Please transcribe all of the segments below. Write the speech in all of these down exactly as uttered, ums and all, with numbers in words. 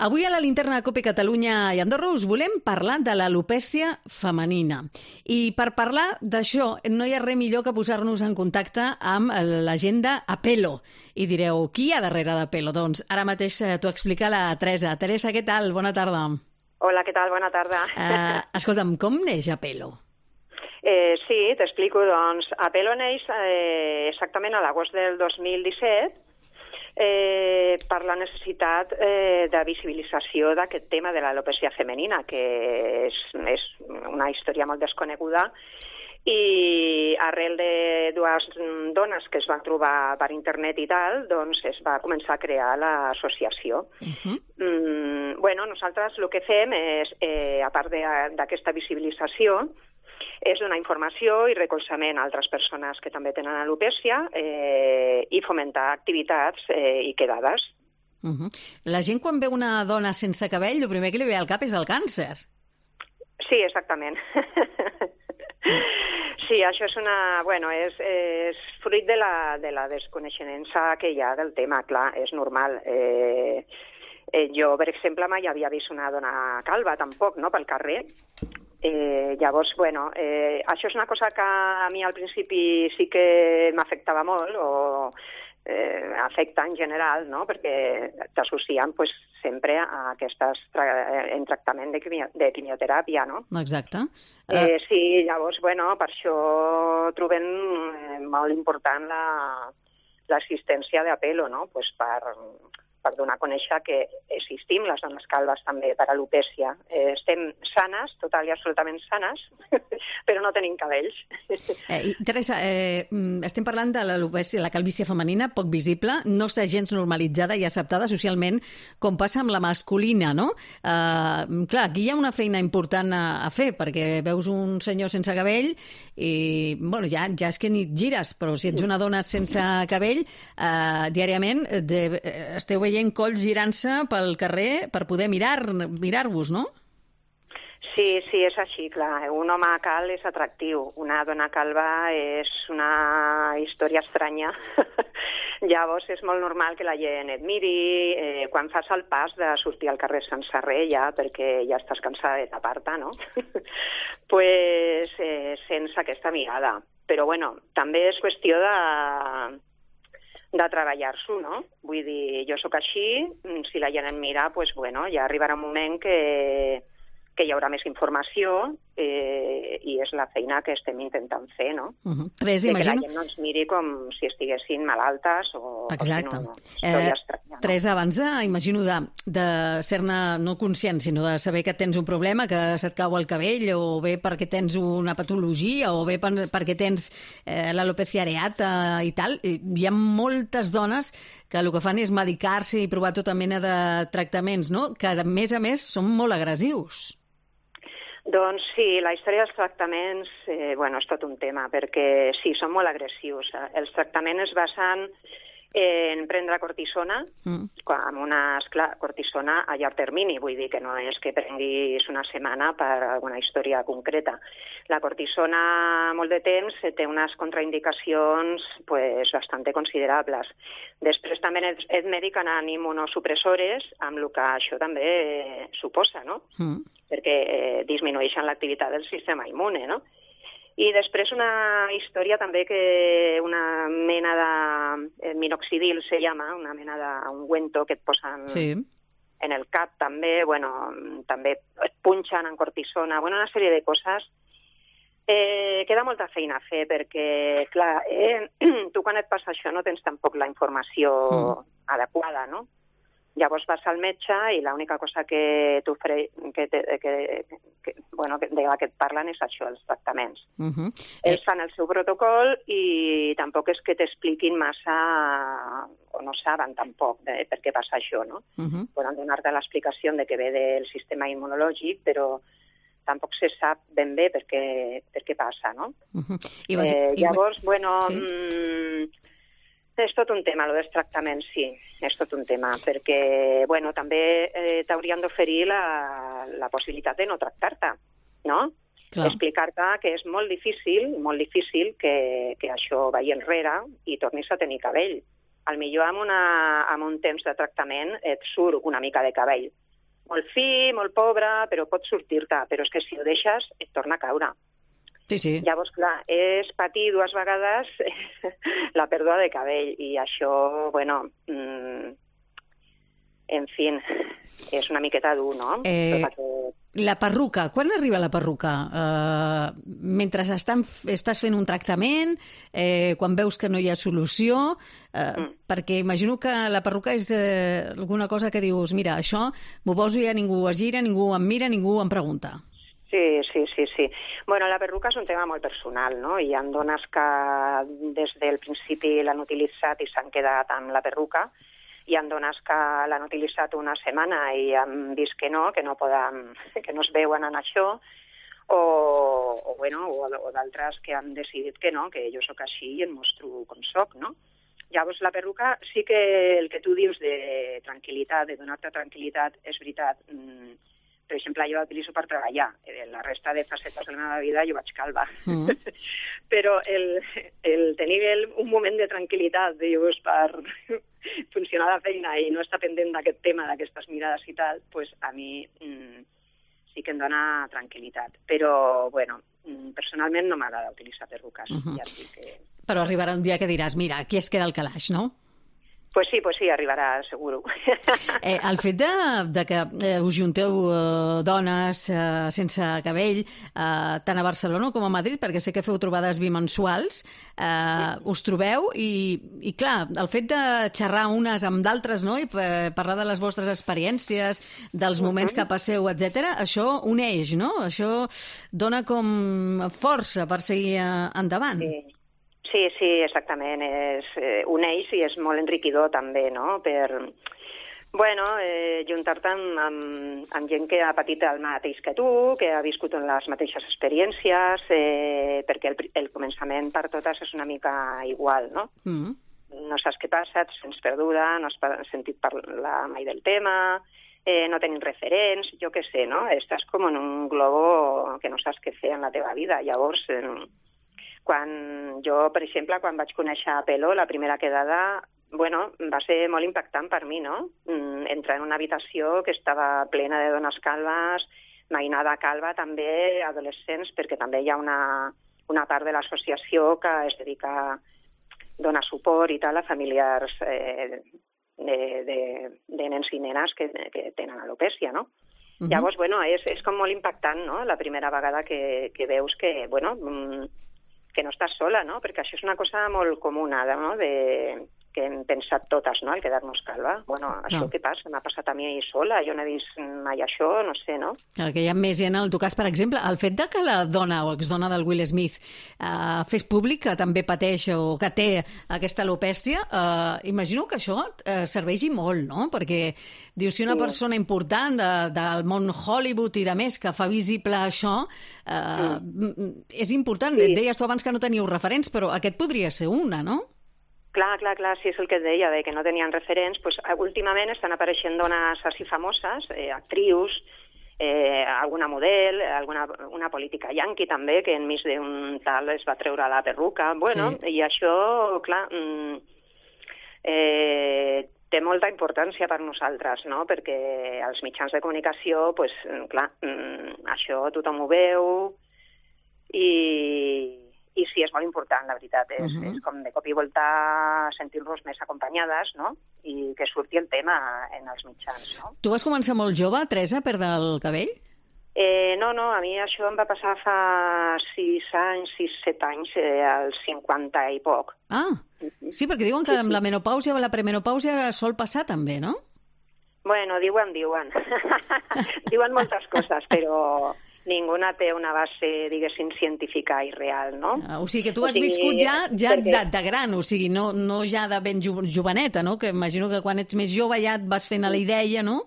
Avui a la linterna de Cope Catalunya i Andorra us volem parlar de l'alopècia femenina. I per parlar d'això no hi ha res millor que posar-nos en contacte amb l'agenda Apelo. I direu, qui hi ha darrere d'Apelo? Doncs ara mateix t'ho explica la Teresa. Teresa, què tal? Bona tarda. Hola, què tal? Bona tarda. Uh, escolta'm, com neix Apelo? Eh, sí, t'explico. Doncs Apelo neix eh, exactament a l'agost del dos mil disset eh, per la necessitat eh, de visibilització d'aquest tema de l'alopècia femenina, que és, és una història molt desconeguda, i arrel de dues dones que es van trobar per internet i tal, doncs es va començar a crear l'associació. Uh-huh. mm, bueno, nosaltres el que fem és, eh, a part d'aquesta visibilització, és donar informació i recolzament a altres persones que també tenen alopècia eh, i fomentar activitats eh, i quedades. Uh-huh. La gent quan veu una dona sense cabell, el primer que li ve al cap és el càncer. Sí, exactament. Sí, això és una... Bueno, és, és fruit de la, de la desconeixença que hi ha del tema, clar, és normal. Eh, eh, jo, per exemple, mai havia vist una dona calva, tampoc, no?, pel carrer. Eh, llavors, bueno, eh, això és una cosa que a mi al principi sí que m'afectava molt, o eh, afecta en general, no?, perquè t'associen pues, sempre a aquestes tra en tractament de, quimio de quimioteràpia, no? Exacte. Uh... Eh, sí, llavors, bueno, per això trobem eh, molt important l'existència d'Apelo, no?, pues per... per donar a conèixer que existim les dones calves també per alopècia. Eh, estem sanes, total i absolutament sanes, però no tenim cabells. Eh, Teresa, eh, estem parlant de l'alopècia, la calvície femenina, poc visible, no està gens normalitzada i acceptada socialment com passa amb la masculina, no? Eh, clar, aquí hi ha una feina important a, a fer, perquè veus un senyor sense cabell i, bueno, ja, ja és que ni et gires, però si ets una dona sense cabell, eh, diàriament de, esteu veient colls girant-se pel carrer per poder mirar, mirar-vos, no? Sí, sí, és així, clar. Un home calb és atractiu. Una dona calva és una història estranya. Llavors és molt normal que la gent et miri eh, quan fas el pas de sortir al carrer sense res ja, perquè ja estàs cansada de tapar-te, no? pues eh, sense aquesta mirada. Però bueno, també és qüestió de... de treballar-s'ho, no? Vull dir, jo sóc així, si la gent em mira, doncs, bueno, ja arribarà un moment que, que hi haurà més informació eh, i és la feina que estem intentant fer, no? Uh-huh. Tres, de imagino... que la gent no ens miri com si estiguessin malaltes o... Exacte. O si no, no, eh, estranya, no? Tres, abans de, imagino, de, de ser-ne no conscient, sinó de saber que tens un problema, que se't cau el cabell, o bé perquè tens una patologia, o bé per, perquè tens eh, l'alopècia areata i tal, hi ha moltes dones que el que fan és medicar-se i provar tota mena de tractaments, no?, que a més a més són molt agressius. Doncs sí, la història dels tractaments eh, bueno, és tot un tema, perquè sí, són molt agressius. Els tractaments es basen en prendre cortisona, mm. amb una esclar, cortisona a llarg termini, vull dir que no és que prenguis una setmana per alguna història concreta. La cortisona molt de temps té unes contraindicacions pues, bastant considerables. Després també et, et mediquen amb immunosupressores, amb el que això també eh, suposa, no? Mm. Perquè eh, disminueixen l'activitat del sistema immune, no? I després una història també que una mena de minoxidil se llama, una mena d'ungüento que et posen sí. en el cap també, bueno, també et punxen en cortisona, bueno, una sèrie de coses. Eh, queda molta feina a fer perquè, clar, eh, tu quan et passa això no tens tampoc la informació mm. adequada, no? Llavors vas al metge i l'única cosa que, t'ofre... que, te... que, que, bueno, de la que et parlen és això, els tractaments. Uh-huh. Ells eh... fan el seu protocol i tampoc és que t'expliquin massa, o no saben tampoc de per què passa això, no? Uh-huh. Poden donar-te l'explicació de que ve del sistema immunològic, però tampoc se sap ben bé per què, per què passa, no? Uh-huh. I vas... eh, llavors, I... bueno... Sí? Mmm, és tot un tema, el dels tractaments, sí, és tot un tema, perquè, bueno, també eh, t'haurien d'oferir la, la possibilitat de no tractar-te, no? Clar. Explicar-te que és molt difícil, molt difícil que, que això vagi enrere i tornis a tenir cabell. Al millor amb, una, amb un temps de tractament et surt una mica de cabell, molt fi, molt pobre, però pots sortir-te. Però és que si ho deixes, et torna a caure. Sí, sí. Llavors, clar, és patir dues vegades la pèrdua de cabell. I això, bueno, mmm, en fi, és una miqueta dur, no? Eh, que... La perruca, quan arriba la perruca? Uh, mentre estan, estàs fent un tractament, eh, quan veus que no hi ha solució, uh, mm. perquè imagino que la perruca és eh, alguna cosa que dius, mira, això m'ho poso i ja ningú es gira, ningú em mira, ningú em pregunta. Sí, sí, sí, sí. Bueno, la perruca és un tema molt personal, no? Hi ha dones que des del principi l'han utilitzat i s'han quedat amb la perruca. Hi ha dones que l'han utilitzat una setmana i han vist que no, que no poden, que no es veuen en això, o, o, bueno, o, o d'altres que han decidit que no, que jo sóc així i em mostro com soc, no? Llavors, la perruca sí que el que tu dius de tranquil·litat, de donar-te tranquil·litat, és veritat. Per exemple, jo l'utilitzo per treballar. La resta de facetes de la meva vida jo vaig calva. Mm. Però el, el tenir el, un moment de tranquil·litat, dius, per funcionar la feina i no estar pendent d'aquest tema, d'aquestes mirades i tal, pues a mi mm, sí que em dona tranquil·litat. Però, bueno, personalment no m'agrada utilitzar perruques. Uh-huh. Ja dic que... Però arribarà un dia que diràs, mira, aquí es queda el calaix, no? Pues sí, pues sí, arribarà, seguro. Eh, el fet de, de que eh, us junteu eh, dones eh, sense cabell, eh, tant a Barcelona com a Madrid, perquè sé que feu trobades bimensuals, eh, sí. Us trobeu i, i, clar, el fet de xerrar unes amb d'altres, no?, i parlar de les vostres experiències, dels moments uh-huh. que passeu, etcètera, això uneix, no? Això dona com força per seguir endavant. Sí. Sí, sí, exactament. És, eh, uneix i és molt enriquidor també, no? Per, bueno, eh, juntar-te amb, amb, amb gent que ha patit el mateix que tu, que ha viscut en les mateixes experiències, eh, perquè el, el començament per totes és una mica igual, no? Mm. No saps què passa, et sents perduda, no has sentit parlar mai del tema, eh, no tenim referents, jo què sé, no? Estàs com en un globo que no saps què fer en la teva vida. Llavors... Eh, Quan jo, per exemple, quan vaig conèixer a Pelo, la primera quedada, bueno, va ser molt impactant per mi, no? Entrar en una habitació que estava plena de dones calves, mainada calva, també adolescents, perquè també hi ha una, una part de l'associació que es dedica a donar suport i tal a familiars eh, de, de, de nens i nenes que, que tenen alopècia, no? Uh-huh. Llavors, bueno, és, és com molt impactant, no?, la primera vegada que, que veus que, bueno... que no estàs sola, no? Perquè això és una cosa molt comuna, no?, de... que hem pensat totes, no?, el quedar-nos calva. Bueno, això no. Què passa? M'ha passat a mi sola, jo no he vist mai això, no sé, no? Clar, que hi ha més gent en el teu cas, per exemple, el fet de que la dona o exdona del Will Smith eh, fes públic que també pateix o que té aquesta alopècia, eh, imagino que això eh, serveixi molt, no? Perquè, dius, si una sí. persona important de, del món Hollywood i de més que fa visible això, eh, sí. és important. Sí. Et deies tu abans que no teníeu referents, però aquest podria ser una, no? Clar, clar, clar, sí, és el que et deia, de que no tenien referents. Pues, últimament estan apareixent dones així famoses, eh, actrius, eh, alguna model, alguna una política yanqui també, que enmig d'un tal es va treure la perruca. Bueno, sí. I això, clar, mm, eh, té molta importància per nosaltres, no? Perquè als mitjans de comunicació, pues, clar, mm, això tothom ho veu i... I sí, és molt important, la veritat. És, uh-huh. és com de cop i volta sentir-nos més acompanyades, no? I que surti el tema en els mitjans, no? Tu vas començar molt jove, Teresa, a perdre el cabell? Eh, no, no, a mi això em va passar fa sis anys, sis, set anys, eh, als cinquanta i poc. Ah, sí, perquè diuen que amb la menopàusia o la premenopàusia sol passar també, no? Bueno, diuen, diuen. Diuen moltes coses, però... ninguna té una base, diguéssim, científica i real, no? Ah, o sigui que tu has o sigui, viscut ja, ja perquè... de gran, o sigui, no, no ja de ben jo, joveneta, no? Que imagino que quan ets més jove ja et vas fent a la idea, no?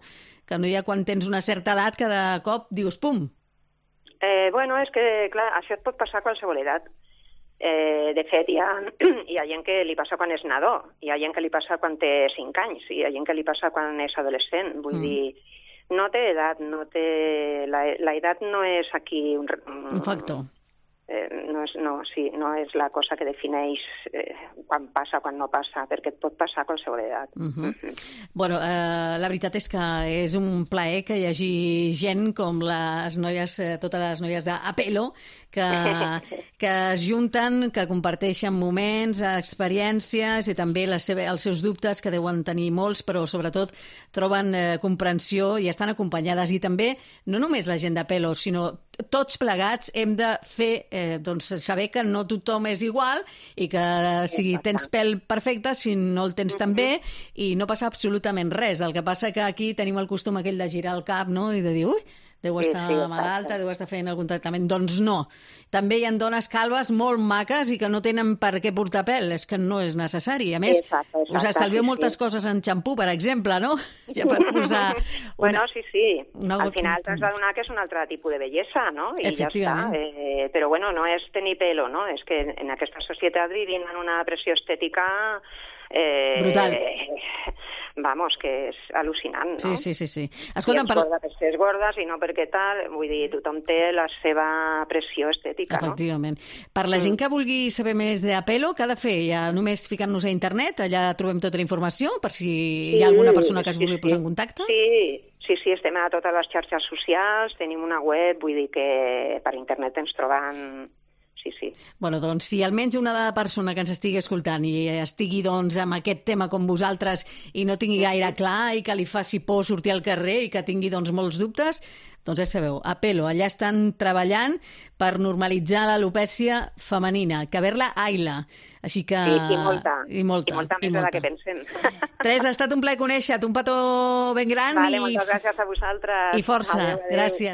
Que no hi ha quan tens una certa edat que de cop dius pum. Eh, bueno, és que, clar, això et pot passar a qualsevol edat. Eh, de fet, hi ha, hi ha gent que li passa quan és nadó, hi ha gent que li passa quan té cinc anys, hi ha gent que li passa quan és adolescent, vull mm. dir... No té edat, no té... La, la edat no és aquí un... Un factor. Eh, no, és, no, sí, no és la cosa que defineix eh, quan passa o quan no passa, perquè et pot passar a qualsevol edat. Uh -huh. uh -huh. Bueno, eh, la veritat és que és un plaer que hi hagi gent com les noies, eh, totes les noies d'Apelo, que, que es junten, que comparteixen moments, experiències i també les seva, els seus dubtes, que deuen tenir molts, però sobretot troben eh, comprensió i estan acompanyades. I també, no només la gent d'Apelo, sinó tots plegats hem de fer, eh, doncs, saber que no tothom és igual i que si tens pèl perfecte, si no el tens tan bé, i no passa absolutament res. El que passa que aquí tenim el costum aquell de girar el cap, no?, i de dir, ui, deu estar sí, sí, malalta, deu estar fent algun tractament. Doncs no. També hi ha dones calves molt maques i que no tenen per què portar pèl. És que no és necessari. A més, exacte, exacte, us estalvieu sí, moltes sí. coses en xampú, per exemple, no? Ja per posar... Una... Bueno, sí, sí. Una... Al final t'has d'adonar que és un altre tipus de bellesa, no? I ja està. Eh, però, bueno, no és tenir pelo, no? És que en aquesta societat vivim en una pressió estètica... Eh, brutal. Vamos, que és al·lucinant, no? Sí, sí, sí. sí. Escolta'm, I ets gorda per ser gordes i no perquè tal, vull dir, tothom té la seva pressió estètica, efectivament. No? Per la gent que vulgui saber més d'Apelo, què ha de fer? Ja només ficant-nos a internet, allà trobem tota la informació, per si sí, hi ha alguna persona que es vulgui sí, posar en contacte? Sí, sí, sí, estem a totes les xarxes socials, tenim una web, vull dir que per internet ens trobem... Sí, sí. Bueno, doncs, si almenys una persona que ens estigui escoltant i estigui doncs, amb aquest tema com vosaltres i no tingui gaire clar i que li faci por sortir al carrer i que tingui doncs, molts dubtes, doncs ja sabeu, Apelo, allà estan treballant per normalitzar l'alopècia femenina, que haver-la aila. Així que... Sí, i molta. I molta, I molta més de la que pensem. Teresa, ha estat un plaer conèixer-te, un petó ben gran. Vale, i... moltes gràcies a vosaltres. I força, adeu, adeu. Gràcies.